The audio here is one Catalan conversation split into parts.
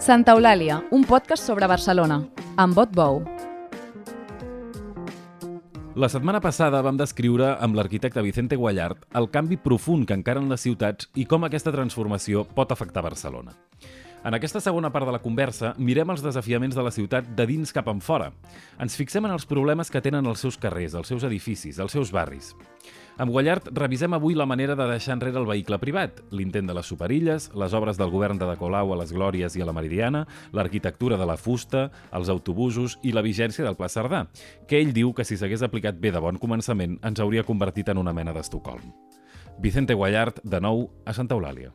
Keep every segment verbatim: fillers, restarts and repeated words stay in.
Santa Eulàlia, un podcast sobre Barcelona, amb Bot Bou. La setmana passada vam descriure amb l'arquitecte Vicente Guallart el canvi profund que encaren les ciutats i com aquesta transformació pot afectar Barcelona. En aquesta segona part de la conversa mirem els desafiaments de la ciutat de dins cap enfora. Ens fixem en els problemes que tenen els seus carrers, els seus edificis, els seus barris. Amb Guallart revisem avui la manera de deixar enrere el vehicle privat, l'intent de les superilles, les obres del govern de De Colau a les Glòries i a la Meridiana, l'arquitectura de la fusta, els autobusos i la vigència del Pla Cerdà, que ell diu que si s'hagués aplicat bé de bon començament ens hauria convertit en una mena d'Estocolm. Vicente Guallart, de nou, a Santa Eulàlia.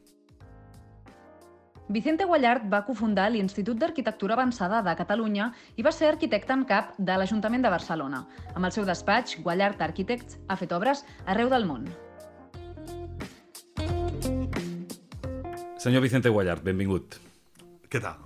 Vicente Guallart va cofundar l'Institut d'Arquitectura Avançada de Catalunya i va ser arquitecte en cap de l'Ajuntament de Barcelona. Amb el seu despatx, Guallart Architects ha fet obres arreu del món. Senyor Vicente Guallart, benvingut. Què tal?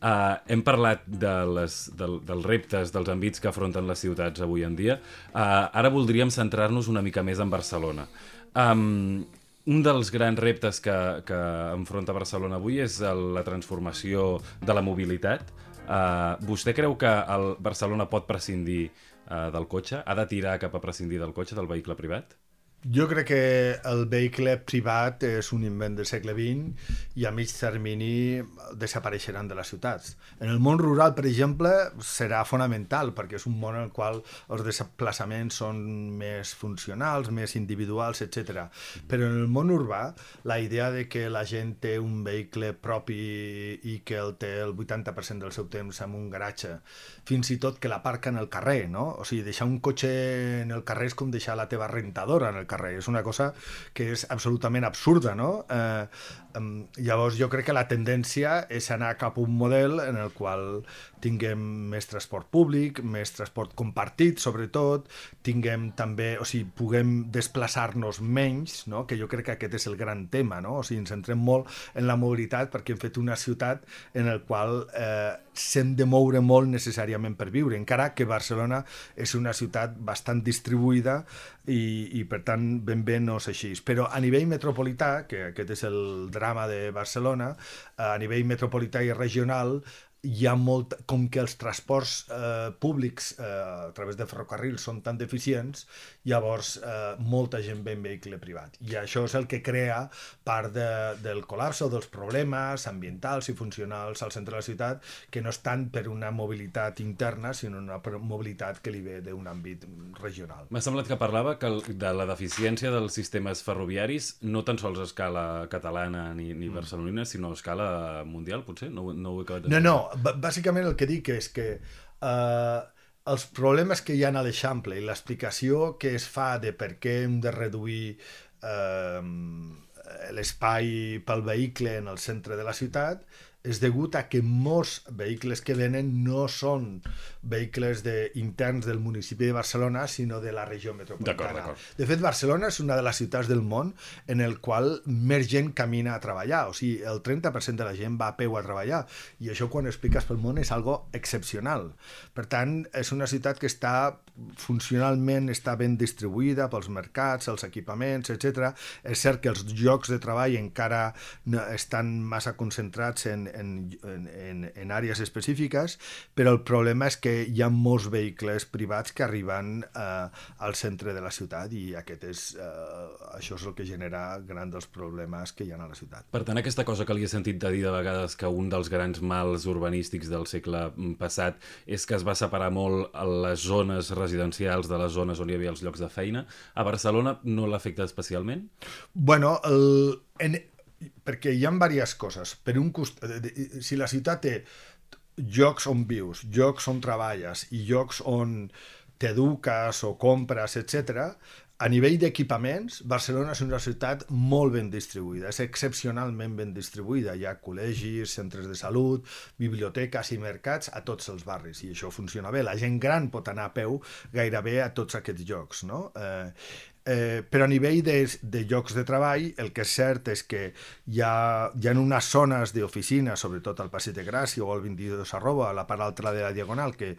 Uh, hem parlat de les, del, dels reptes, dels àmbits que afronten les ciutats avui en dia. Uh, ara voldríem centrar-nos una mica més en Barcelona. Um, un dels grans reptes que, que enfronta Barcelona avui és el, la transformació de la mobilitat. Uh, vostè creu que el Barcelona pot prescindir uh, del cotxe? Ha de tirar cap a prescindir del cotxe, del vehicle privat? Jo crec que el vehicle privat és un invent del segle vint i a mig termini desapareixeran de les ciutats. En el món rural, per exemple, serà fonamental perquè és un món en el qual els desplaçaments són més funcionals, més individuals, etcètera. Però en el món urbà, la idea de que la gent té un vehicle propi i que el té el vuitanta per cent del seu temps en un garatge, fins i tot que l'aparca en el carrer, no? O sigui, deixar un cotxe en el carrer és com deixar la teva rentadora en el carrer. És una cosa que és absolutament absurda, no? Eh, eh, llavors jo crec que la tendència és anar cap a un model en el qual tinguem més transport públic, més transport compartit, sobretot, tinguem també, o sigui, puguem desplaçar-nos menys, no? Que jo crec que aquest és el gran tema, no? O sigui, ens centrem molt en la mobilitat perquè hem fet una ciutat en el qual eh, s'hem de moure molt necessàriament per viure, encara que Barcelona és una ciutat bastant distribuïda i, i per tant ben bé no és així. Però a nivell metropolità, que aquest és el drama de Barcelona, a nivell metropolità i regional, hi ha molt, com que els transports eh, públics eh, a través de ferrocarrils són tan deficients, llavors eh, molta gent ve en vehicle privat. I això és el que crea part de, del col·lapse o dels problemes ambientals i funcionals al centre de la ciutat, que no és tant per una mobilitat interna, sinó una mobilitat que li ve d'un àmbit regional. M'ha semblat que parlava que el, de la deficiència dels sistemes ferroviaris no tan sols a escala catalana ni, ni barcelonina, sinó a escala mundial, potser? No, no ho he acabat de... No, no, bàsicament el que dic és que eh, els problemes que hi ha a l'Eixample i l'explicació que es fa de per què hem de reduir eh, l'espai pel vehicle en el centre de la ciutat és degut a que molts vehicles que venen no són vehicles de, interns del municipi de Barcelona, sinó de la regió metropolitana. D'acord, d'acord. De fet, Barcelona és una de les ciutats del món en el qual més gent camina a treballar. O sigui, el trenta per cent de la gent va a peu a treballar. I això, quan ho expliques pel món, és algo excepcional. Per tant, és una ciutat que està funcionalment està ben distribuïda pels mercats, els equipaments, etcètera. És cert que els llocs de treball encara no, estan massa concentrats en En, en, en àrees específiques, però el problema és que hi ha molts vehicles privats que arriben eh, al centre de la ciutat i aquest és, eh, això és el que genera gran dels problemes que hi ha a la ciutat. Per tant, aquesta cosa que li he sentit de dir de vegades que un dels grans mals urbanístics del segle passat és que es va separar molt les zones residencials de les zones on hi havia els llocs de feina. A Barcelona no l'afecta especialment? Bueno, el... En... perquè hi ha diverses coses. Per un costat, si la ciutat té llocs on vius, llocs on treballes i llocs on t'eduques o compres, etcètera, a nivell d'equipaments, Barcelona és una ciutat molt ben distribuïda, és excepcionalment ben distribuïda. Hi ha col·legis, centres de salut, biblioteques i mercats a tots els barris i això funciona bé. La gent gran pot anar a peu gairebé a tots aquests llocs, no? Eh, Eh, però a nivell de, de llocs de treball, el que és cert és que hi ha, hi ha unes zones d'oficina, sobretot al Passeig de Gràcia o al vint-i-dos arroba, a la part altra de la Diagonal, que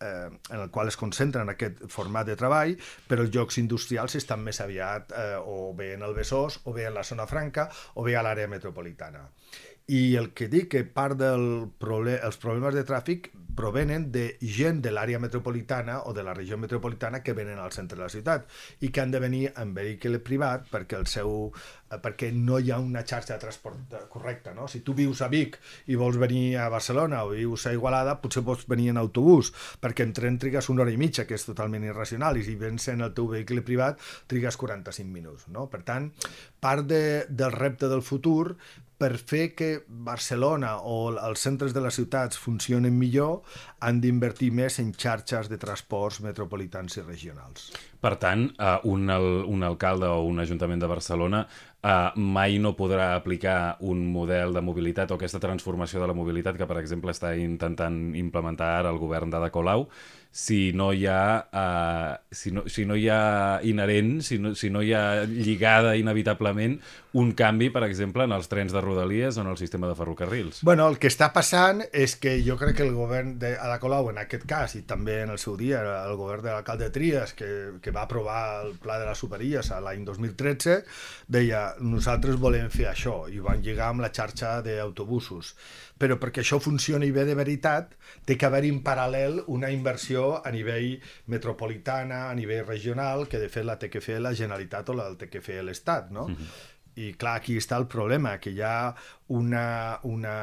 eh, en el qual es concentren en aquest format de treball, però els llocs industrials estan més aviat eh, o bé en el Besòs, o bé en la zona franca, o bé a l'àrea metropolitana. I el que dic que part dels proble els problemes de tràfic provenen de gent de l'àrea metropolitana o de la regió metropolitana que venen al centre de la ciutat i que han de venir en vehicle privat perquè el seu perquè no hi ha una xarxa de transport correcta, no? Si tu vius a Vic i vols venir a Barcelona o vius a Igualada, potser pots venir en autobús, perquè en tren trigues una hora i mitja, que és totalment irracional, i si vens en el teu vehicle privat trigues quaranta-cinc minuts, no? Per tant, part de, del repte del futur per fer que Barcelona o els centres de les ciutats funcionen millor, han d'invertir més en xarxes de transports metropolitans i regionals. Per tant, un, un alcalde o un ajuntament de Barcelona Uh, mai no podrà aplicar un model de mobilitat o aquesta transformació de la mobilitat que, per exemple, està intentant implementar ara el govern d'Ada Colau, si no hi ha, uh, si no, si no hi ha inherent, si no, si no hi ha lligada inevitablement un canvi, per exemple, en els trens de Rodalies o en el sistema de ferrocarrils. Bueno, el que està passant és que jo crec que el govern d'Ada Colau, en aquest cas, i també en el seu dia el govern de l'alcalde Trias, que, que va aprovar el pla de les superilles a l'any dos mil tretze, deia nosaltres volem fer això, i ho van lligar amb la xarxa d'autobusos. Però perquè això funcioni bé de veritat, té que haver-hi en paral·lel una inversió a nivell metropolitana, a nivell regional, que de fet la té que fer la Generalitat o la té que fer l'Estat, no? Mm-hmm. I clar, aquí està el problema, que hi ha una, una,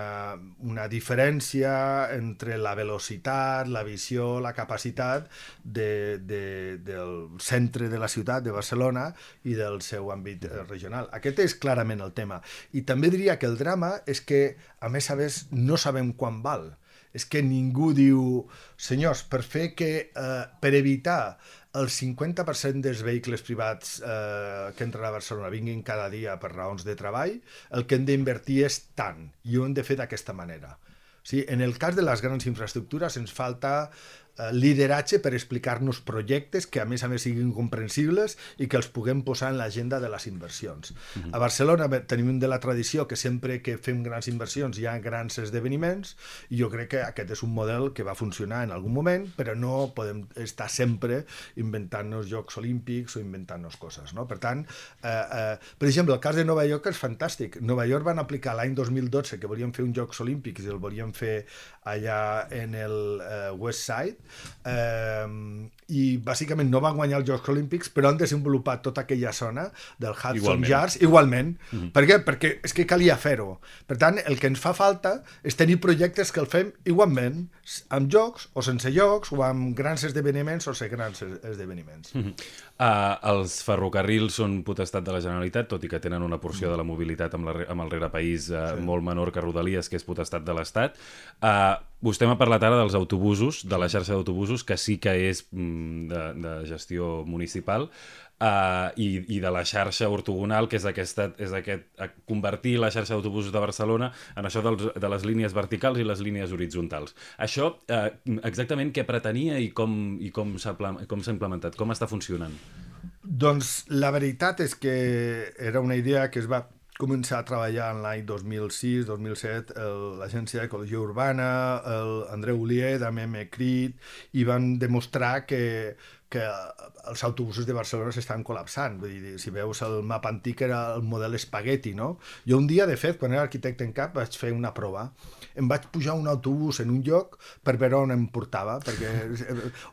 una diferència entre la velocitat, la visió, la capacitat de, de, del centre de la ciutat de Barcelona i del seu àmbit regional. Aquest és clarament el tema. I també diria que el drama és que, a més a més, no sabem quan val. És que ningú diu, senyors, per fer que, eh, per evitar el cinquanta per cent dels vehicles privats eh, que entren a Barcelona vinguin cada dia per raons de treball, el que hem d'invertir és tant, i ho hem de fer d'aquesta manera. O sigui, en el cas de les grans infraestructures ens falta eh, lideratge per explicar-nos projectes que a més a més siguin comprensibles i que els puguem posar en l'agenda de les inversions. Uh-huh. A Barcelona tenim de la tradició que sempre que fem grans inversions hi ha grans esdeveniments, i jo crec que aquest és un model que va funcionar en algun moment, però no podem estar sempre inventant-nos Jocs Olímpics o inventant-nos coses, no? Per tant, eh, eh, per exemple, el cas de Nova York és fantàstic. Nova York van aplicar l'any dos mil dotze que volien fer uns Jocs Olímpics i el volien fer allà en el eh, West Side, eh, i bàsicament no van guanyar els Jocs Olímpics, però han desenvolupat tota aquella zona del Hudson Yards igualment. Mm-hmm. Per què? Perquè és que calia fer-ho. Per tant, el que ens fa falta és tenir projectes que el fem igualment, amb jocs o sense jocs, o amb grans esdeveniments o sense grans esdeveniments. Mm-hmm. Uh, els ferrocarrils són potestat de la Generalitat, tot i que tenen una porció de la mobilitat amb, la, amb el rerepaís uh, sí. molt menor que Rodalies, que és potestat de l'Estat. Uh, vostè m'ha parlat ara dels autobusos, de la xarxa d'autobusos, que sí que és mm, de, de gestió municipal, uh, i, i de la xarxa ortogonal, que és, aquesta, és aquest, convertir la xarxa d'autobusos de Barcelona en això dels, de les línies verticals i les línies horitzontals. Això, uh, exactament què pretenia i com, i com s'ha implementat? Com està funcionant? Doncs la veritat és que era una idea que es va començar a treballar en l'any dos mil sis dos mil set l'Agència d'Ecologia Urbana, l'Andreu Olier, també m'he crit, i van demostrar que, que els autobusos de Barcelona s'estan col·lapsant. Vull dir, si veus el mapa antic era el model espagueti, no? Jo un dia, de fet, quan era arquitecte en cap, vaig fer una prova. Em vaig pujar un autobús en un lloc per veure on em portava, perquè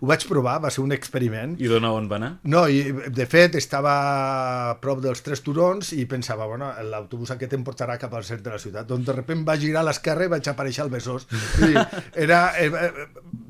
ho vaig provar, va ser un experiment. I d'on on va anar? No, i de fet estava a prop dels Tres Turons i pensava, bueno, l'autobús aquest em portarà cap al centre de la ciutat. Doncs de sobte va girar a l'esquerra i vaig aparèixer al Besòs. Era...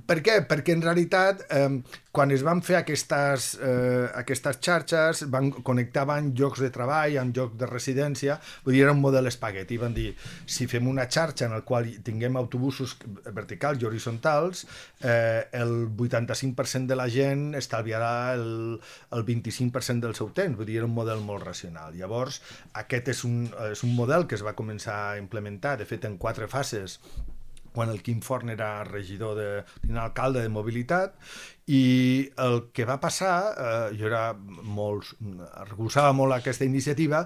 Per què? Perquè en realitat, eh, quan es van fer aquestes, eh, aquestes xarxes, van, connectaven llocs de treball amb llocs de residència, vull dir, era un model espagueti. Van dir, si fem una xarxa en la qual tinguem autobusos verticals i horitzontals, eh, el vuitanta-cinc per cent de la gent estalviarà el, el vint-i-cinc per cent del seu temps. Vull dir, era un model molt racional. Llavors, aquest és un, és un model que es va començar a implementar, de fet, en quatre fases, quan el Quim Forn era regidor de, alcalde de mobilitat, I el que va passar, eh, jo era molt, recolzava molt aquesta iniciativa,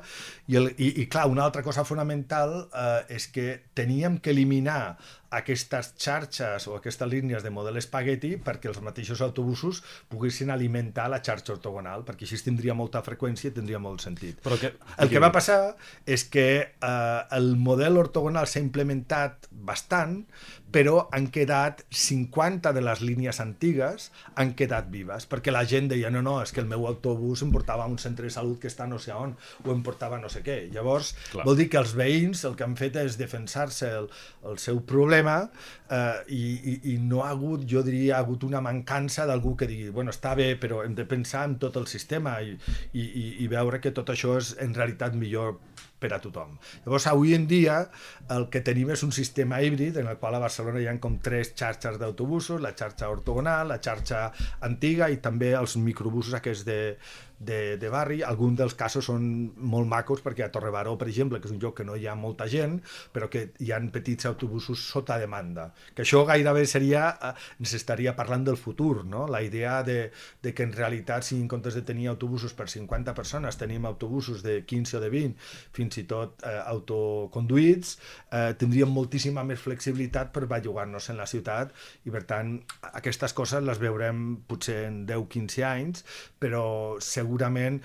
i, el, i, i clar, una altra cosa fonamental eh, és que teníem que eliminar aquestes xarxes o aquestes línies de model espagueti perquè els mateixos autobusos poguessin alimentar la xarxa ortogonal, perquè així tindria molta freqüència i tindria molt sentit. Però que... El que va passar és que eh, el model ortogonal s'ha implementat bastant, però han quedat cinquanta de les línies antigues han quedat vives, perquè la gent deia no, no, és que el meu autobús em portava a un centre de salut que està no sé on, o em portava no sé què. Llavors, clar, vol dir que els veïns el que han fet és defensar-se el, el seu problema eh, i, i, i no ha hagut, jo diria, ha hagut una mancança d'algú que digui, bueno, està bé, però hem de pensar en tot el sistema i, i, i veure que tot això és en realitat millor per a tothom. Llavors, avui en dia, el que tenim és un sistema híbrid en el qual a Barcelona hi ha com tres xarxes d'autobusos, la xarxa ortogonal, la xarxa antiga i també els microbusos aquests de, de, de barri. Alguns dels casos són molt macos perquè a Torrebaró, per exemple, que és un lloc que no hi ha molta gent, però que hi ha petits autobusos sota demanda. Que això gairebé seria, ens estaria parlant del futur, no? La idea de, de que en realitat, si en comptes de tenir autobusos per cinquanta persones, tenim autobusos de quinze o de vint, fins i tot eh, autoconduïts, eh, tindríem moltíssima més flexibilitat per bellugar-nos en la ciutat i, per tant, aquestes coses les veurem potser en deu a quinze anys, però segurament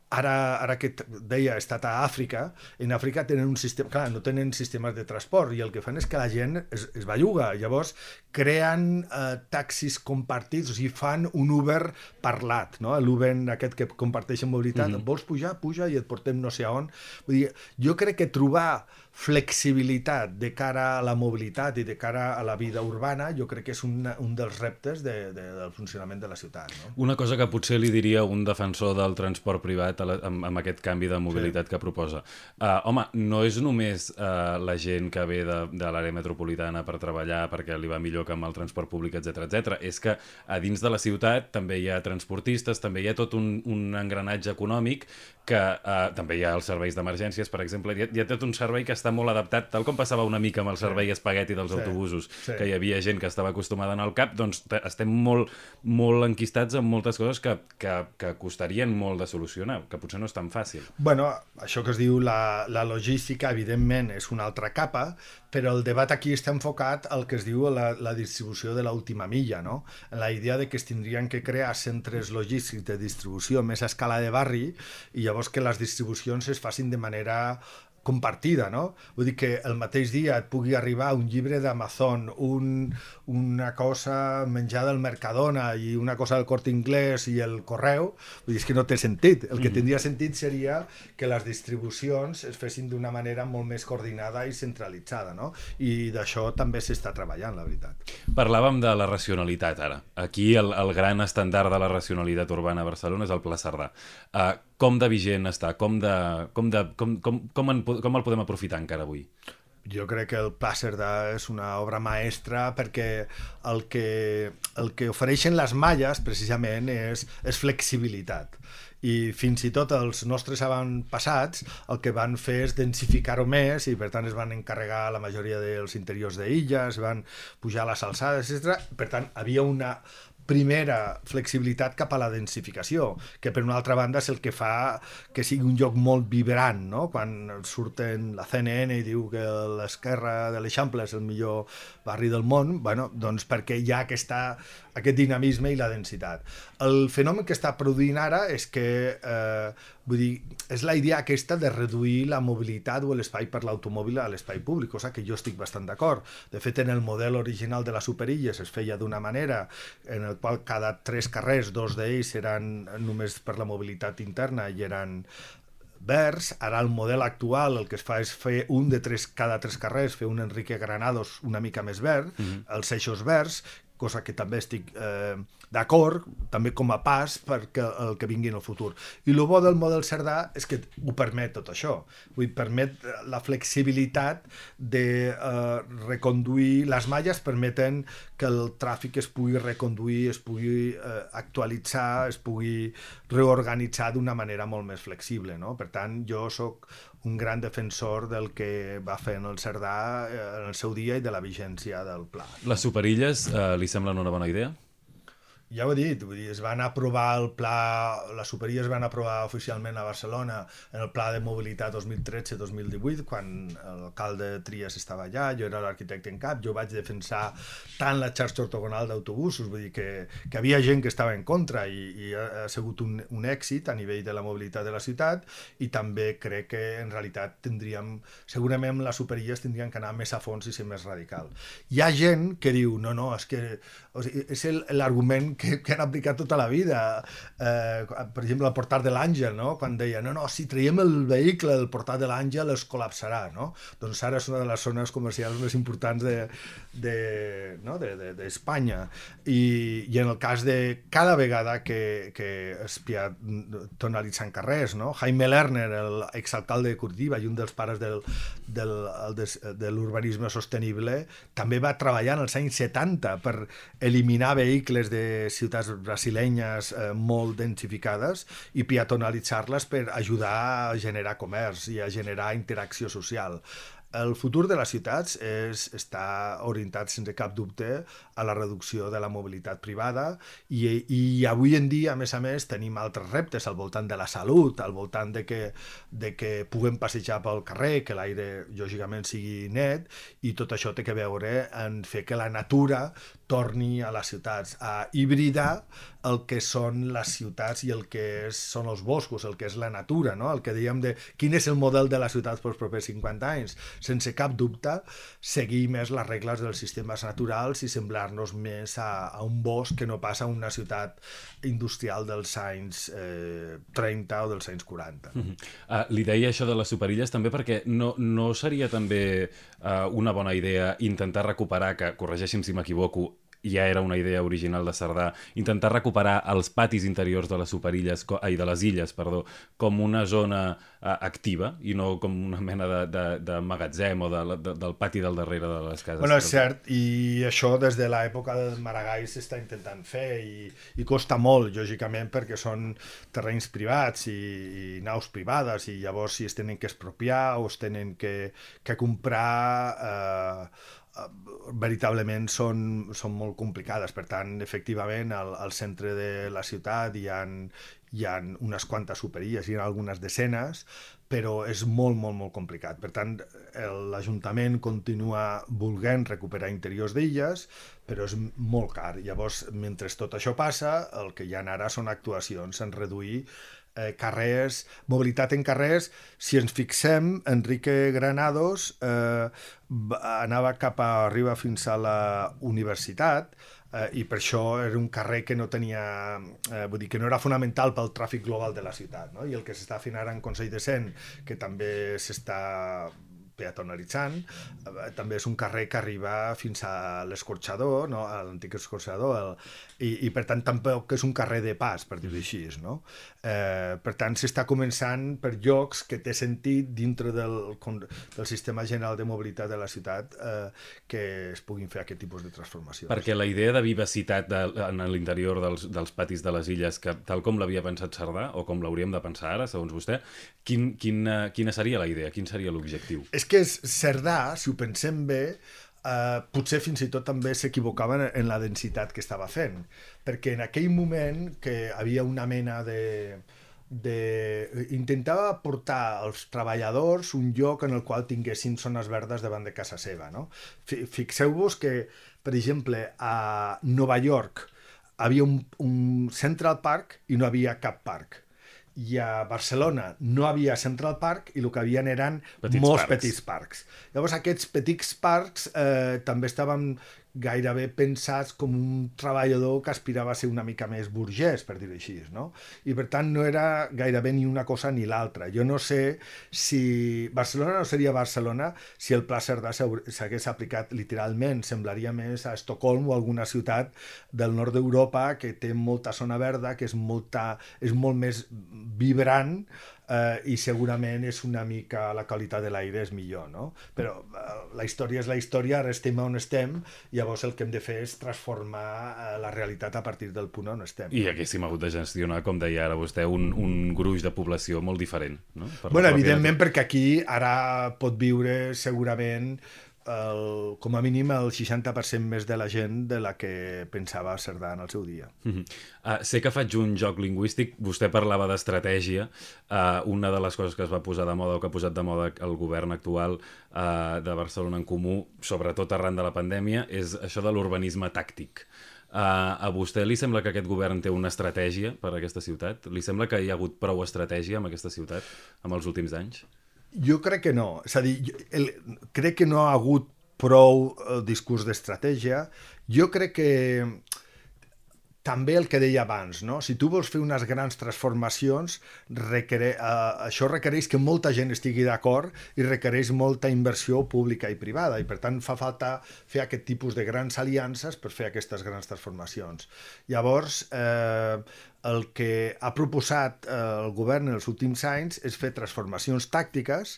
Ara, ara que deia, he estat a Àfrica, en Àfrica tenen un sistema, clar, no tenen sistemes de transport i el que fan és que la gent es, es belluga, llavors creen eh, taxis compartits, o sigui, fan un Uber parlat, no? L'Uber aquest que comparteixen mobilitat, mm-hmm. vols pujar, puja i et portem no sé on. Vull dir, jo crec que trobar flexibilitat de cara a la mobilitat i de cara a la vida urbana, jo crec que és un, un dels reptes de, de, del funcionament de la ciutat. No? Una cosa que potser li diria un defensor del transport privat a la, amb, amb aquest canvi de mobilitat sí. que proposa. Uh, home, no és només uh, la gent que ve de, de l'àrea metropolitana per treballar perquè li va millor que amb el transport públic, etcètera, etcètera. És que a dins de la ciutat també hi ha transportistes, també hi ha tot un, un engranatge econòmic que uh, també hi ha els serveis d'emergències, per exemple, hi ha, hi ha tot un servei que està molt adaptat, tal com passava una mica amb el servei espagueti dels sí, autobusos, sí. que hi havia gent que estava acostumada a anar al cap, doncs estem molt, molt enquistats en moltes coses que, que, que costarien molt de solucionar, que potser no és tan fàcil. Bueno, això que es diu la, la logística, evidentment, és una altra capa, però el debat aquí està enfocat al que es diu la, la distribució de l'última milla, no? La idea de que es tindrien que crear centres logístics de distribució més a escala de barri i llavors que les distribucions es facin de manera compartida, no? Vull dir que el mateix dia et pugui arribar un llibre d'Amazon, un, una cosa menjada al Mercadona i una cosa del Corte Inglés i el correu, vull dir, és que no té sentit. El que tindria sentit seria que les distribucions es fessin d'una manera molt més coordinada i centralitzada, no? I d'això també s'està treballant, la veritat. Parlàvem de la racionalitat, ara. Aquí el, el gran estàndard de la racionalitat urbana a Barcelona és el Pla Cerdà. Uh, com de vigent està? Com, de, com, de, com, com, com, en, com el podem aprofitar encara avui? Jo crec que el Pla Cerdà és una obra maestra perquè el que, el que ofereixen les malles precisament és, és flexibilitat. I fins i tot els nostres avantpassats el que van fer és densificar-ho més i per tant es van encarregar la majoria dels interiors d'illes, van pujar les alçades, etcètera. Per tant, havia una primera flexibilitat cap a la densificació, que per una altra banda és el que fa que sigui un lloc molt vibrant, no? Quan surten la C N N i diu que l'esquerra de l'Eixample és el millor barri del món, bueno, doncs perquè hi ha aquesta, aquest dinamisme i la densitat. El fenomen que està produint ara és que, eh, vull dir, és la idea aquesta de reduir la mobilitat o l'espai per l'automòbil a l'espai públic, cosa que jo estic bastant d'acord. De fet, en el model original de les superilles es feia d'una manera en el qual cada tres carrers, dos d'ells eren només per la mobilitat interna i eren verds. Ara el model actual el que es fa és fer un de tres, cada tres carrers, fer un Enrique Granados una mica més verd, mm-hmm. els eixos verds, cosa que també estic eh, d'acord, també com a pas perquè el que vingui en el futur. I el bo del model Cerdà és que ho permet tot això. Vull permet la flexibilitat de eh, reconduir, les malles permeten que el tràfic es pugui reconduir, es pugui eh, actualitzar, es pugui reorganitzar d'una manera molt més flexible, no? Per tant, jo sóc un gran defensor del que va fer en el Cerdà en el seu dia i de la vigència del pla. Les superilles eh, li semblen una bona idea? ja ho he dit, vull dir, es van aprovar el pla, la Superia es van aprovar oficialment a Barcelona en el Pla de Mobilitat dos mil tretze dos mil divuit, quan l'alcalde Trias estava allà, jo era l'arquitecte en cap, jo vaig defensar tant la xarxa ortogonal d'autobusos, vull dir que, que havia gent que estava en contra i, i ha sigut un, un èxit a nivell de la mobilitat de la ciutat, i també crec que en realitat tindríem, segurament les Superies tindrien que anar més a fons i ser més radical. Hi ha gent que diu, no, no, és que o sigui, és l'argument que, que han aplicat tota la vida. Eh, per exemple, el portal de l'Àngel, no? Quan deia, no, no, si traiem el vehicle del portal de l'Àngel es col·lapsarà, no? Doncs ara és una de les zones comercials més importants de, de, no? de, de, d'Espanya. I, I en el cas de cada vegada que, que es peatonalitzen carrers, no? Jaime Lerner, l'exalcalde de Curitiba i un dels pares del, del, de, de l'urbanisme sostenible, també va treballar en els anys setanta per eliminar vehicles de ciutats brasilenyes eh, molt densificades i peatonalitzar-les per ajudar a generar comerç i a generar interacció social. El futur de les ciutats és, està orientat sense cap dubte a la reducció de la mobilitat privada i, i avui en dia, a més a més, tenim altres reptes al voltant de la salut, al voltant de que, de que puguem passejar pel carrer, que l'aire lògicament sigui net, i tot això té que veure en fer que la natura torni a les ciutats, a hibridar el que són les ciutats i el que és, són els boscos, el que és la natura, no? El que dèiem de quin és el model de les ciutats pels propers cinquanta anys. Sense cap dubte, seguir més les regles dels sistemes naturals i semblar-nos més a, a un bosc que no passa a una ciutat industrial dels anys eh, trenta o dels anys quaranta. Mm-hmm. uh, li deia això de les superilles també perquè no, no seria també uh, una bona idea intentar recuperar, que corregeixi'm si m'equivoco, ja era una idea original de Cerdà, intentar recuperar els patis interiors de les superilles, ai, de les illes, perdó, com una zona uh, activa i no com una mena de, de, de magatzem o de, de, del pati del darrere de les cases. Bueno, és cert, i això des de l'època del Maragall s'està intentant fer i, i costa molt, lògicament, perquè són terrenys privats i, i naus privades i llavors si es tenen que expropiar o es tenen que, que comprar... Eh, veritablement són, són molt complicades. Per tant, efectivament, al, al centre de la ciutat hi ha, hi ha unes quantes superilles, hi ha algunes desenes, però és molt, molt, molt complicat. Per tant, l'Ajuntament continua volent recuperar interiors d'illes, però és molt car. Llavors, mentre tot això passa, el que hi ha ara són actuacions en reduir Eh, carrers, mobilitat en carrers. Si ens fixem, Enrique Granados eh, anava cap a arriba fins a la universitat eh, i per això era un carrer que no tenia, eh, vull dir, que no era fonamental pel tràfic global de la ciutat, no? I el que s'està fent ara en Consell de Cent, que també s'està peatonalitzant, eh, també és un carrer que arriba fins a l'escorxador, no? A l'antic escorxador, el, i, i per tant tampoc és un carrer de pas, per dir-ho així, no? Eh, per tant, s'està començant per llocs que té sentit dintre del, del sistema general de mobilitat de la ciutat eh, que es puguin fer aquest tipus de transformacions. Perquè la idea de vivacitat de, en l'interior dels, dels patis de les illes, que tal com l'havia pensat Cerdà, o com l'hauríem de pensar ara, segons vostè, quin, quina, quina seria la idea? Quin seria l'objectiu? És que Cerdà, si ho pensem bé, eh, potser fins i tot també s'equivocaven en la densitat que estava fent, perquè en aquell moment que havia una mena de... de... intentava portar als treballadors un lloc en el qual tinguessin zones verdes davant de casa seva, no? Fixeu-vos que, per exemple, a Nova York havia un, un Central Park i no havia cap parc. I a Barcelona no havia Central Park i el que havien eren petits molts parcs. petits parcs. Llavors aquests petits parcs eh, també estaven gairebé pensats com un treballador que aspirava a ser una mica més burgès, per dir-ho així, no? I per tant no era gairebé ni una cosa ni l'altra. Jo no sé si Barcelona no seria Barcelona si el Pla Cerdà s'hagués aplicat literalment. Semblaria més a Estocolm o alguna ciutat del nord d'Europa que té molta zona verda, que és, molta, és molt més vibrant, Uh, i segurament és una mica la qualitat de l'aire és millor, no? Però uh, la història és la història, ara estem on estem, llavors el que hem de fer és transformar uh, la realitat a partir del punt on estem. I haguéssim hagut de gestionar, com deia ara vostè, un, un gruix de població molt diferent, no? Per bueno, evidentment, natura. Perquè aquí ara pot viure segurament el, com a mínim el seixanta per cent més de la gent de la que pensava Cerdà en el seu dia. Mm-hmm. uh, sé que faig un joc lingüístic, vostè parlava d'estratègia, uh, una de les coses que es va posar de moda o que ha posat de moda el govern actual uh, de Barcelona en Comú, sobretot arran de la pandèmia, és això de l'urbanisme tàctic. Uh, a vostè li sembla que aquest govern té una estratègia per a aquesta ciutat? Li sembla que hi ha hagut prou estratègia en aquesta ciutat en els últims anys? Jo crec que no. És a dir, jo, el, crec que no ha hagut prou el discurs d'estratègia. Jo crec que també el que deia abans, no? Si tu vols fer unes grans transformacions, requere, uh, això requereix que molta gent estigui d'acord i requereix molta inversió pública i privada, i per tant fa falta fer aquest tipus de grans aliances per fer aquestes grans transformacions. Llavors, eh, el que ha proposat eh, el govern en els últims anys és fer transformacions tàctiques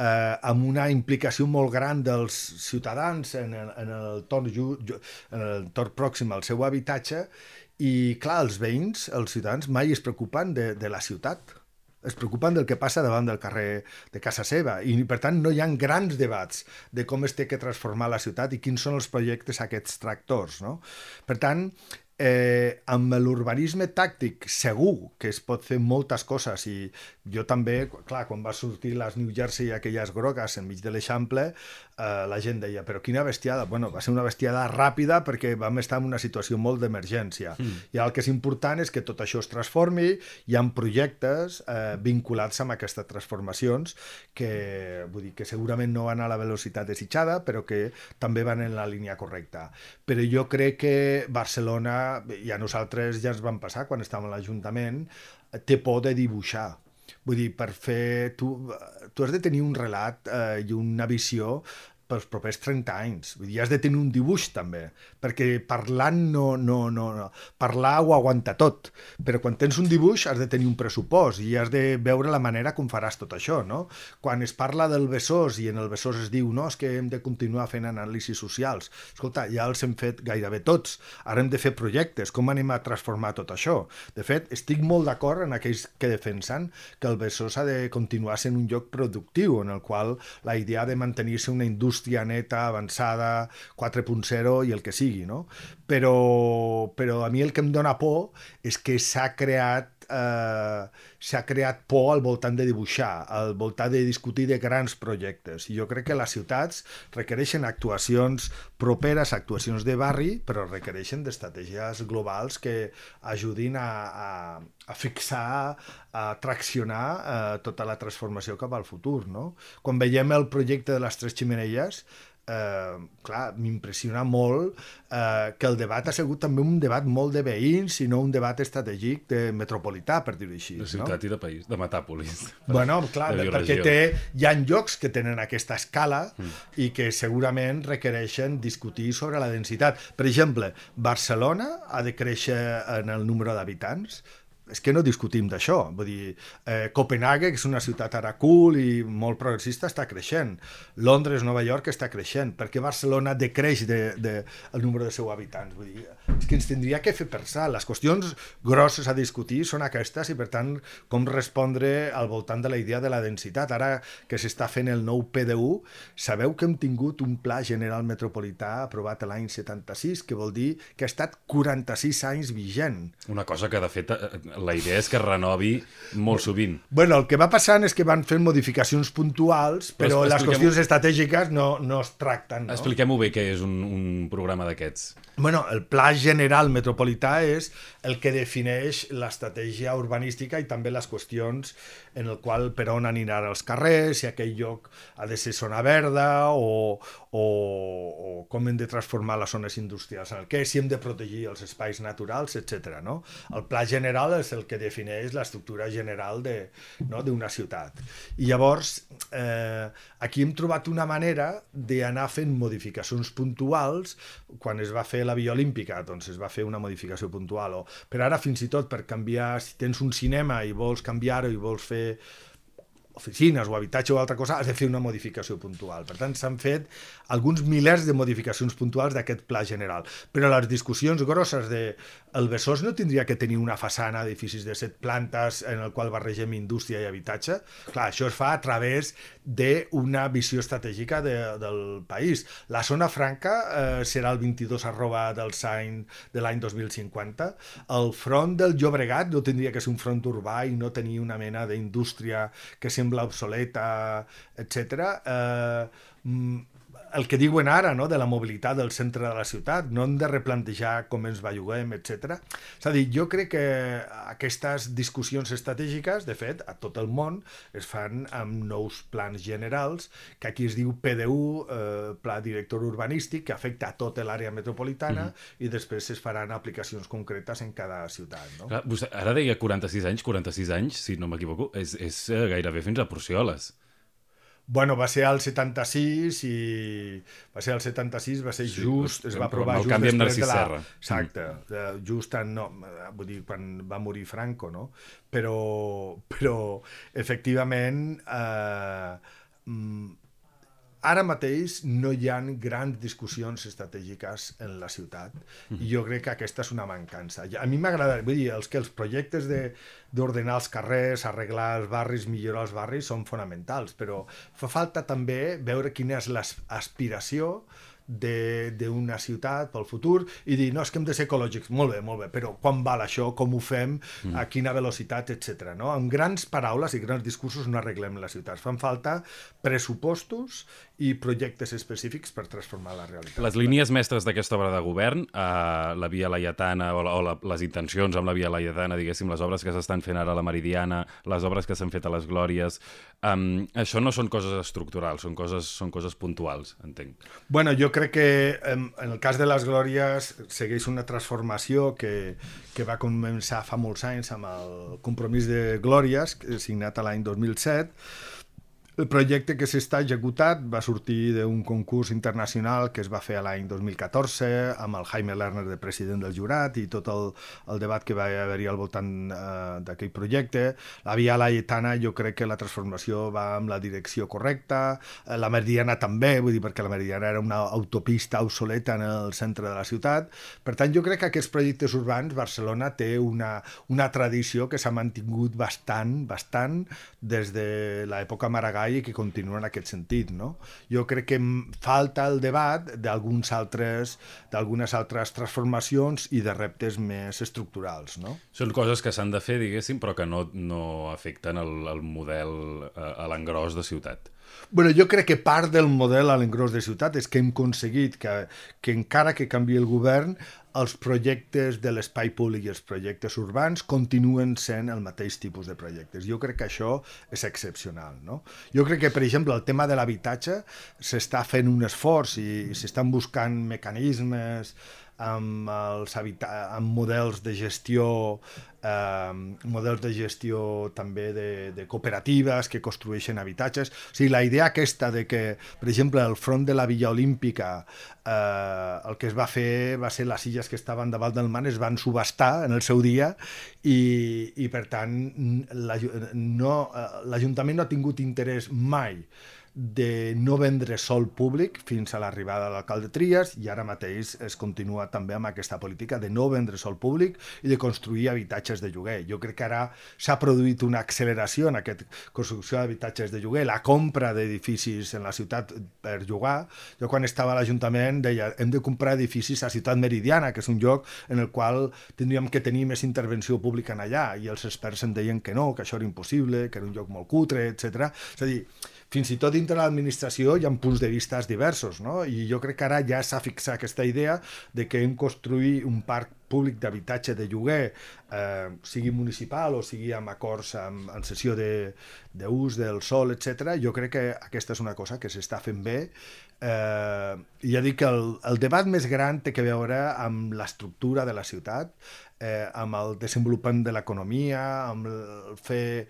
eh, amb una implicació molt gran dels ciutadans en el, en el torn, en el torn pròxim al seu habitatge. I, clar, els veïns, els ciutadans, mai es preocupen de, de la ciutat. Es preocupen del que passa davant del carrer de casa seva. I, per tant, no hi ha grans debats de com es té que transformar la ciutat i quins són els projectes aquests tractors, no? Per tant, eh, amb l'urbanisme tàctic segur que es pot fer moltes coses, i jo també, clar, quan va sortir les New Jersey, aquelles grogues enmig de l'Eixample, eh, la gent deia, però quina bestiada. Bueno, va ser una bestiada ràpida perquè vam estar en una situació molt d'emergència. Mm. I el que és important és que tot això es transformi, hi ha projectes eh, vinculats amb aquestes transformacions que, vull dir, que segurament no van a la velocitat desitjada, però que també van en la línia correcta. Però jo crec que Barcelona, i a nosaltres ja ens van passar quan estàvem a l'Ajuntament, té por de dibuixar. Vull dir, per fer... Tu, tu has de tenir un relat eh, i una visió pels propers trenta anys. Vull dir, has de tenir un dibuix també, perquè parlant no, no, no, no. Parlar ho aguanta tot, però quan tens un dibuix has de tenir un pressupost i has de veure la manera com faràs tot això, no? Quan es parla del Besòs i en el Besòs es diu, no, és que hem de continuar fent anàlisis socials. Escolta, ja els hem fet gairebé tots. Ara hem de fer projectes. Com anem a transformar tot això? De fet, estic molt d'acord en aquells que defensen que el Besòs ha de continuar sent un lloc productiu, en el qual la idea de mantenir-se una indústria neta, avançada, quatre punt zero i el que sigui, no? Però, però a mi el que em dóna por és que s'ha creat eh, s'ha creat por al voltant de dibuixar, al voltant de discutir de grans projectes. I jo crec que les ciutats requereixen actuacions properes, actuacions de barri, però requereixen d'estratègies globals que ajudin a, a, a fixar, a traccionar eh, tota la transformació cap al futur, no? Quan veiem el projecte de les Tres Xemeneies, Eh, clar, m'impressiona molt eh, que el debat ha sigut també un debat molt de veïns i no un debat estratègic de metropolità, per dir-ho així. De ciutat, no? I de país, de Metàpolis. Bueno, clar, perquè té, hi ha llocs que tenen aquesta escala mm. i que segurament requereixen discutir sobre la densitat. Per exemple, Barcelona ha de créixer en el número d'habitants. És que no discutim d'això. Vull dir, eh, Copenhague, que és una ciutat ara cool i molt progressista, està creixent. Londres, Nova York està creixent. Per què Barcelona decreix de, de, el número de seus habitants? Vull dir, és que ens tindria que fer pensar. Les qüestions grosses a discutir són aquestes i, per tant, com respondre al voltant de la idea de la densitat. Ara que s'està fent el nou P D U, sabeu que hem tingut un Pla General Metropolità aprovat l'any setanta-sis, que vol dir que ha estat quaranta-sis anys vigent. Una cosa que, de fet, la idea és que renovi molt sovint. Bueno, el que va passant és que van fent modificacions puntuals, però, però les qüestions estratègiques no, no es tracten. No? Expliquem-ho bé, què és un, un programa d'aquests. Bueno, el Pla General Metropolità és el que defineix l'estratègia urbanística i també les qüestions en el qual per on aniran els carrers, si aquell lloc ha de ser zona verda o, o, o com hem de transformar les zones industrials en el què, si hem de protegir els espais naturals, etcètera. No? El Pla General és el que defineix l'estructura general de, no, d'una ciutat. I llavors, eh, aquí hem trobat una manera d'anar fent modificacions puntuals. Quan es va fer la Via Olímpica, doncs es va fer una modificació puntual. O, però ara, fins i tot, per canviar, si tens un cinema i vols canviar-ho i vols fer oficines o habitatge o altra cosa, has de fer una modificació puntual. Per tant, s'han fet alguns milers de modificacions puntuals d'aquest pla general. Però les discussions grosses de el Besòs no tindria que tenir una façana d'edificis de set plantes en el qual barregem indústria i habitatge. Clar, això es fa a través d'una visió estratègica de, del país. La zona franca eh, serà el vint-i-dos arroba del Sain de l'any dos mil cinquanta. El front del Llobregat no tindria que ser un front urbà i no tenir una mena d'indústria que sembla obsoleta, etcètera. Eh, el que diuen ara, no?, de la mobilitat del centre de la ciutat, no hem de replantejar com ens belluguem, etcètera. És a dir, jo crec que aquestes discussions estratègiques, de fet, a tot el món, es fan amb nous plans generals, que aquí es diu P D U, eh, Pla Director Urbanístic, que afecta a tota l'àrea metropolitana, mm-hmm. i després es faran aplicacions concretes en cada ciutat. No? Clar, vostè ara deia quaranta-sis anys, quaranta-sis anys, si no m'equivoco, és, és gairebé fins a Porcioles. Bueno, va ser al setanta-sis i va ser al setanta-sis, va ser sí, just, es va aprovar just després de la... Serra. Exacte, mm. just en, no, vull dir, quan va morir Franco, no? Però, però efectivament, eh, ara mateix no hi ha grans discussions estratègiques en la ciutat mm. i jo crec que aquesta és una mancança. A mi m'agrada, vull dir, els que els projectes de d'ordenar els carrers, arreglar els barris, millorar els barris són fonamentals, però fa falta també veure quina és l'aspiració d'una ciutat pel futur i dir, no, és que hem de ser ecològics, molt bé, molt bé, però quan val això, com ho fem, a quina velocitat, etcètera. No? Amb grans paraules i grans discursos no arreglem les ciutats. Fan falta pressupostos i projectes específics per transformar la realitat. Les línies mestres d'aquesta obra de govern, eh, la Via Laietana o, la, o la, les intencions amb la Via Laietana, diguéssim, les obres que s'estan fent ara a la Meridiana, les obres que s'han fet a les Glòries, eh, això no són coses estructurals, són coses, són coses puntuals, entenc. Bueno, jo crec que en, en el cas de les Glòries segueix una transformació que, que va començar fa molts anys amb el compromís de Glòries, signat a l'any dos mil set. El projecte que s'està executat va sortir d'un concurs internacional que es va fer a l'any dos mil catorze amb el Jaime Lerner de president del jurat i tot el, el debat que va haver-hi al voltant eh, d'aquell projecte. La Via Laietana, jo crec que la transformació va amb la direcció correcta, la Meridiana també, vull dir, perquè la Meridiana era una autopista obsoleta en el centre de la ciutat. Per tant, jo crec que aquests projectes urbans, Barcelona té una, una tradició que s'ha mantingut bastant, bastant des de l'època Maragall i que continua en aquest sentit, no? Jo crec que falta el debat d'alguns altres, d'algunes altres transformacions i de reptes més estructurals, no? Són coses que s'han de fer, diguéssim, però que no, no afecten el, el model a, a l'engròs de ciutat. Bueno, jo crec que part del model a l'engròs de ciutat és que hem aconseguit que, que encara que canvi el govern, els projectes de l'espai públic i els projectes urbans continuen sent el mateix tipus de projectes. Jo crec que això és excepcional, no? Jo crec que, per exemple, el tema de l'habitatge s'està fent un esforç i, i s'estan buscant mecanismes amb, els habita amb models de gestió eh, models de gestió també de, de cooperatives que construeixen habitatges. O sigui, la idea aquesta de que, per exemple, el front de la Villa Olímpica eh, el que es va fer va ser les illes que estaven davant del mar es van subhastar en el seu dia i, i per tant l'Ajuntament no ha tingut interès mai de no vendre sòl públic fins a l'arribada de l'alcalde Trias i ara mateix es continua també amb aquesta política de no vendre sòl públic i de construir habitatges de lloguer. Jo crec que ara s'ha produït una acceleració en aquesta construcció d'habitatges de lloguer, la compra d'edificis en la ciutat per llogar. Jo quan estava a l'Ajuntament deia hem de comprar edificis a Ciutat Meridiana, que és un lloc en el qual tindríem que tenir més intervenció pública en allà i els experts em deien que no, que això era impossible, que era un lloc molt cutre, etcètera. És a dir, fins i tot dintre l'administració hi ha punts de vista diversos, no? I jo crec que ara ja s'ha fixat aquesta idea de que hem construït un parc públic d'habitatge de lloguer, eh, sigui municipal o sigui amb acords amb, en cessió d'ús de, del sòl, etcètera. Jo crec que aquesta és una cosa que s'està fent bé. Eh, ja dic que el, el debat més gran té que veure amb l'estructura de la ciutat, eh, amb el desenvolupament de l'economia, amb el fer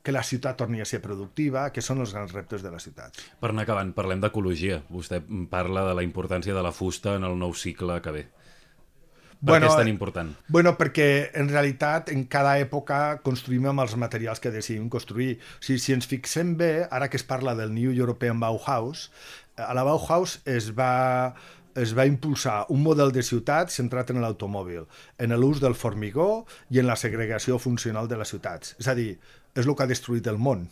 que la ciutat torni a ser productiva, que són els grans reptes de la ciutat. Per anar acabant, parlem d'ecologia. Vostè parla de la importància de la fusta en el nou cicle que ve. Per bueno, què és tan important? Bueno, perquè en realitat en cada època construïm amb els materials que decidim construir. O sigui, si ens fixem bé, ara que es parla del New European Bauhaus, a la Bauhaus es va, es va impulsar un model de ciutat centrat en l'automòbil, en l'ús del formigó i en la segregació funcional de les ciutats. És a dir, és el que ha destruït el món,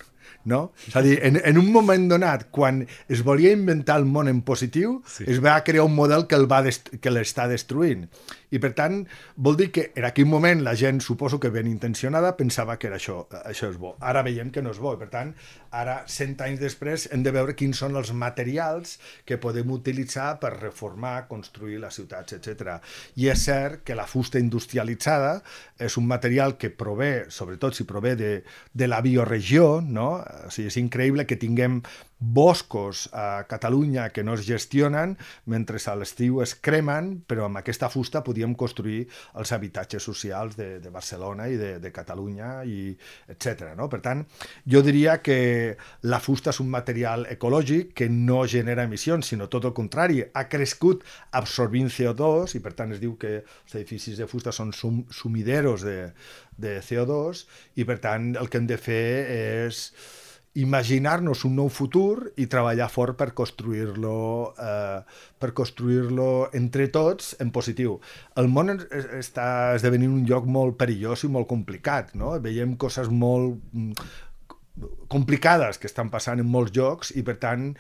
no? És a dir, en, en un moment donat, quan es volia inventar el món en positiu, sí. es va crear un model que el va dest- que l'està destruint. I, per tant, vol dir que en aquell moment la gent, suposo que ben intencionada, pensava que era això, això és bo. Ara veiem que no és bo. I, per tant, ara, cent anys després, hem de veure quins són els materials que podem utilitzar per reformar, construir les ciutats, etcètera. I és cert que la fusta industrialitzada és un material que prové, sobretot si prové de, de la bioregió, no? O sigui, és increïble que tinguem boscos a Catalunya que no es gestionen mentre a l'estiu es cremen, però amb aquesta fusta podíem construir els habitatges socials de, de Barcelona i de, de Catalunya, i etcètera. No? Per tant, jo diria que la fusta és un material ecològic que no genera emissions, sinó tot el contrari, ha crescut absorbint C O dos, i per tant es diu que els edificis de fusta són sum, sumideros de, de C O dos, i per tant el que hem de fer és imaginar-nos un nou futur i treballar fort per construir-lo eh, per construir-lo entre tots en positiu. El món està esdevenint un lloc molt perillós i molt complicat, no? Veiem coses molt complicades que estan passant en molts llocs i, per tant,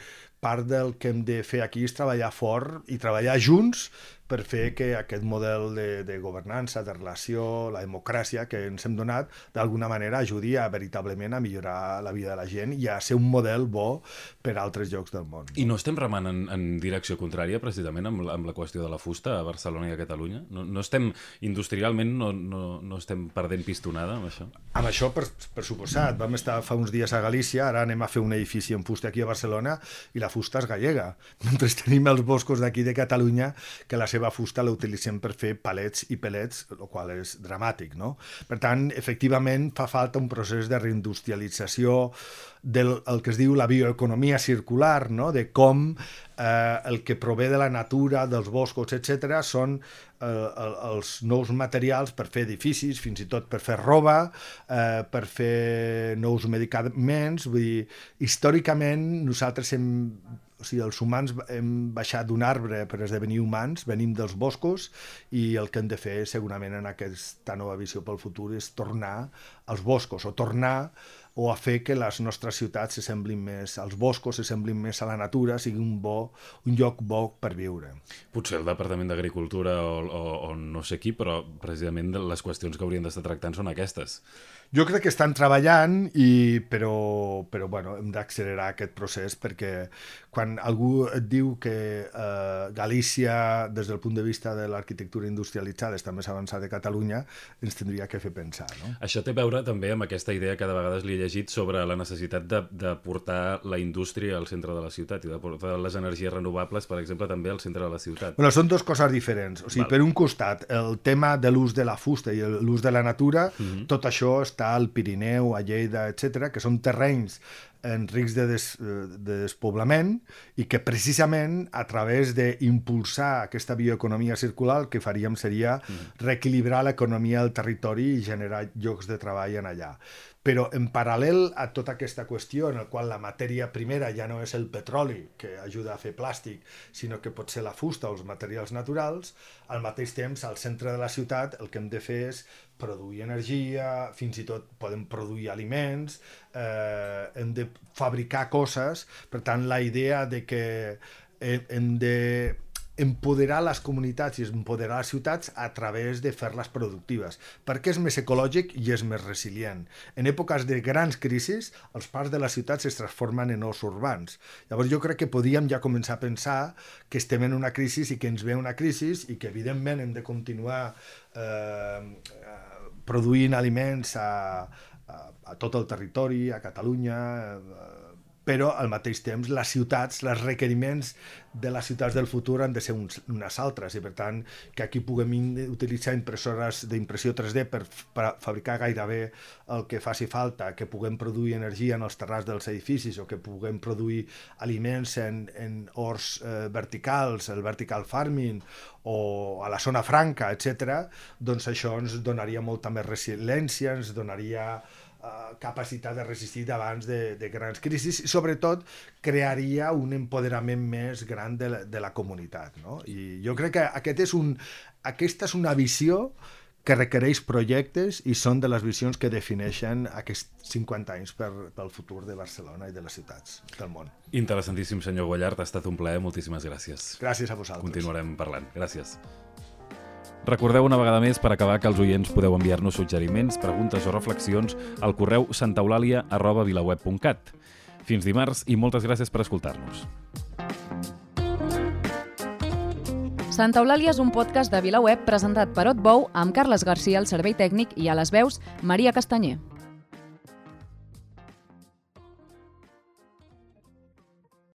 part del que hem de fer aquí és treballar fort i treballar junts per fer que aquest model de, de governança, de relació, la democràcia que ens hem donat, d'alguna manera ajudi a veritablement a millorar la vida de la gent i a ser un model bo per a altres llocs del món. I no estem remant en, en direcció contrària, precisament, amb, amb la qüestió de la fusta a Barcelona i a Catalunya? No, no estem, industrialment, no, no, no estem perdent pistonada amb això? Amb això, per, per suposat. Vam estar fa uns dies a Galícia, ara anem a fer un edifici en fusta aquí a Barcelona i la fusta és gallega, mentre tenim els boscos d'aquí de Catalunya que la seva fusta la utilitzem per fer palets i pellets, el qual és dramàtic, no? Per tant, efectivament, fa falta un procés de reindustrialització del el que es diu la bioeconomia circular, no? De com eh, el que prové de la natura, dels boscos, etcètera, són eh, els nous materials per fer edificis, fins i tot per fer roba, eh, per fer nous medicaments. Vull dir, històricament nosaltres hem o sigui, els humans hem baixat d'un arbre per esdevenir humans, venim dels boscos, i el que hem de fer segurament en aquesta nova visió pel futur és tornar als boscos, o tornar o a fer que les nostres ciutats s'assemblin més als boscos, s'assemblin més a la natura, sigui un bo, un lloc bo per viure. Potser el Departament d'Agricultura o, o, o no sé qui, però precisament les qüestions que haurien d'estar tractant són aquestes. Jo crec que estan treballant, i, però, però bueno, hem d'accelerar aquest procés, perquè quan algú et diu que eh, Galícia, des del punt de vista de l'arquitectura industrialitzada, està més avançada que Catalunya, ens tindria que fer pensar. No? Això té a veure també amb aquesta idea que de vegades li he llegit sobre la necessitat de, de portar la indústria al centre de la ciutat i de portar les energies renovables, per exemple, també al centre de la ciutat. Bueno, són dues coses diferents. O sigui, Val. Per un costat, el tema de l'ús de la fusta i l'ús de la natura, uh-huh. tot això està al Pirineu, a Lleida, etcètera, que són terrenys en risc de, des, de despoblament, i que precisament a través d'impulsar aquesta bioeconomia circular el que faríem seria reequilibrar l'economia del territori i generar llocs de treball en allà. Però en paral·lel a tota aquesta qüestió en la qual la matèria primera ja no és el petroli que ajuda a fer plàstic, sinó que pot ser la fusta o els materials naturals, al mateix temps al centre de la ciutat el que hem de fer és produir energia, fins i tot podem produir aliments, eh, hem de fabricar coses. Per tant, la idea de que hem de empoderar les comunitats i empoderar les ciutats a través de fer-les productives, perquè és més ecològic i és més resilient. En èpoques de grans crisis, els parcs de les ciutats es transformen en ous urbans. Llavors jo crec que podíem ja començar a pensar que estem en una crisi i que ens ve una crisi i que evidentment hem de continuar eh, produint aliments a, a, a tot el territori, a Catalunya, eh, però al mateix temps les ciutats, els requeriments de les ciutats del futur han de ser uns, unes altres, i per tant que aquí puguem utilitzar impressores d'impressió tres D per, per fabricar gairebé el que faci falta, que puguem produir energia en els terrats dels edificis o que puguem produir aliments en, en horts eh, verticals, el vertical farming o a la zona franca, etcètera, doncs això ens donaria molta més resiliència, ens donaria capacitat de resistir davant de, de grans crisis i sobretot crearia un empoderament més gran de la, de la comunitat, no? I jo crec que aquest és un, aquesta és una visió que requereix projectes i són de les visions que defineixen aquests cinquanta anys per, pel futur de Barcelona i de les ciutats del món. Interessantíssim, senyor Guallart, ha estat un plaer, moltíssimes gràcies. Gràcies a vosaltres. Continuarem parlant. Gràcies. Recordeu una vegada més, per acabar, que els oients podeu enviar-nos suggeriments, preguntes o reflexions al correu santaeulàlia arroba vilaweb punt cat. Fins dimarts i moltes gràcies per escoltar-nos. Santa Eulàlia és un podcast de VilaWeb presentat per Otbou amb Carles Garcia al servei tècnic i a les veus Maria Castanyer.